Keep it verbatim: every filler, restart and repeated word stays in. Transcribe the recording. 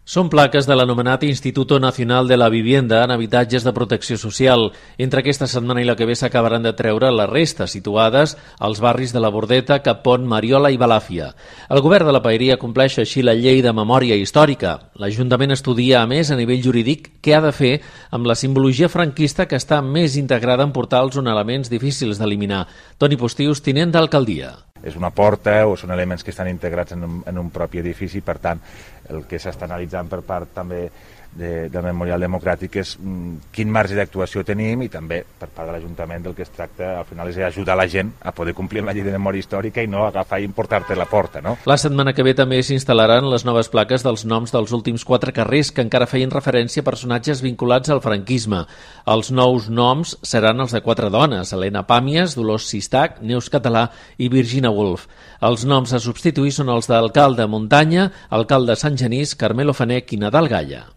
Són plaques de l'anomenat Instituto Nacional de la Vivienda en habitatges de protecció social. Entre aquesta setmana i la que ve s'acabaran de treure les restes situades als barris de la Bordeta, Capont, Mariola i Balàfia. El govern de la Paeria compleix així la llei de memòria històrica. L'Ajuntament estudia, a més, a nivell jurídic, què ha de fer amb la simbologia franquista que està més integrada en portals on elements difícils d'eliminar. Toni Postius, tinent d'alcaldia. És una porta o són elements que estan integrats en un, en un propi edifici, per tant, el que s'està analitzant per part també de, del Memorial Democràtic és mm, quin marge d'actuació tenim, i també per part de l'Ajuntament del que es tracta al final és ajudar la gent a poder complir amb la llei de memòria històrica i no agafar i importar-te la porta, no? La setmana que ve també s'instal·laran les noves plaques dels noms dels últims quatre carrers que encara feien referència a personatges vinculats al franquisme. Els nous noms seran els de quatre dones: Helena Pàmies, Dolors Sistac, Neus Català i Virginia Woolf. Els noms a substituir són els d'alcalde Muntanya, alcalde Sant Genís, Carmelo Fanech i Nadal Galla.